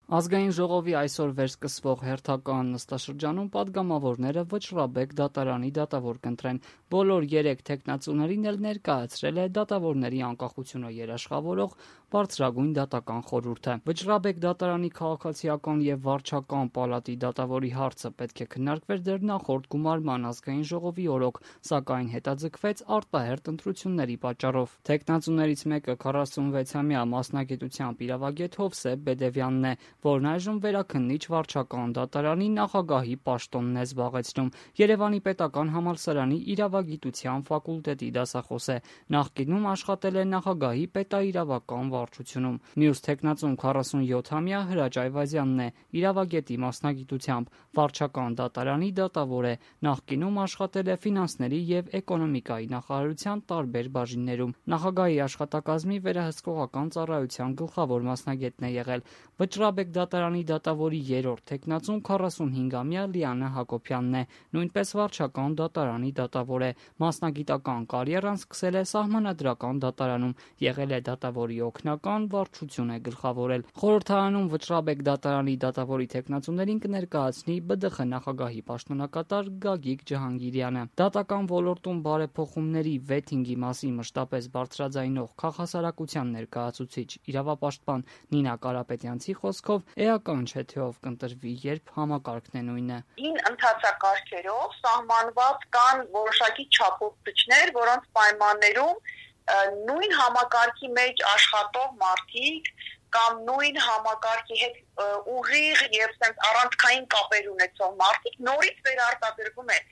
Ազգային ժողովի այսօր վերսկսվող հերթական նստաշրջանում պատգամավորները Վճռաբեկ դատարանի դատավոր կընտրեն։ Բոլոր 3 թեկնածուներին էլ ներկայացրել է դատավորների անկախությունը երաշխավորող բարձրագույն դատական խորհուրդը։ Վճռաբեկ դատարանի քաղաքացիական եւ վարչական պալատի դատավորի հարցը պետք է քննարկվեր դեռ նախորդ գումարման ազգային ժողովի օրոք, սակայն հետաձգվեց արտահերթ ընտրությունների պատճառով։ Թեկնածուներից մեկը 46-ամյա մասնագիտությամբ իրավագետ Հովսեփ Բեդևյանն է, որն այժմ վերաքննիչ վարչական դատարանի նախագահի պաշտոնն է զբաղեցնում։ Երևանի պետական համալսարանի իրավագիտության ֆակուլտետի դասախոս է։ Նախկինում աշխատել է նախագահի պետաիրավական վարչությունում։ Մյուս թեկնածուն 47-ամյա Հրաչ Այվազյանն է, իրավագետի մասնագիտությամբ, վարչական դատարանի դատավոր է։ Նախկինում աշխատել է ֆինանսների եւ էկոնոմիկայի նախարարության տարբեր բաժիններում։ Նախագահի աշխատակազմի վերահսկողական ծառայության գլխավոր մասնագետն է եղել։ Վճռաբեկ դատարանի դատավորի 3-րդ թեկնածուն 45-ամյա Լիանա Հակոբյանն է, նույնպես վարչական դատարանի դատավոր է։ Մասնագիտական կարիերան սկսել է Սահմանադրական դատարանում, եղել է դատավորի օգնական, վարչություն է գլխավորել։ Խորհրդարանում Վճռաբեկ դատարանի դատավորի թեկնածուներին կներկայացնի ԲԴԽ նախագահի պաշտոնակատար Գագիկ Ջհանգիրյանը։ Դատական ոլորտում բարեփոխումների վեթինգի մասին մշտապես բարձրաձայնող քաղաքասարակության ներկայացուցիչ իրավապաշտպան Նինա Կարապետյանցի խոսքով էական չէ, թե ով կընտրվի, երբ համակարգն է նույնը։ Հին ընթացակարգերով սահմանված կան որոշակի չափորոշիչներ, որոնց պայմաններում նույն համակարգի մեջ աշխատող մարդիկ կամ նույն համակարգի հետ ուղիղ եւ առանցքային կապեր ունեցող մարդիկ նորից վերարտադրվում են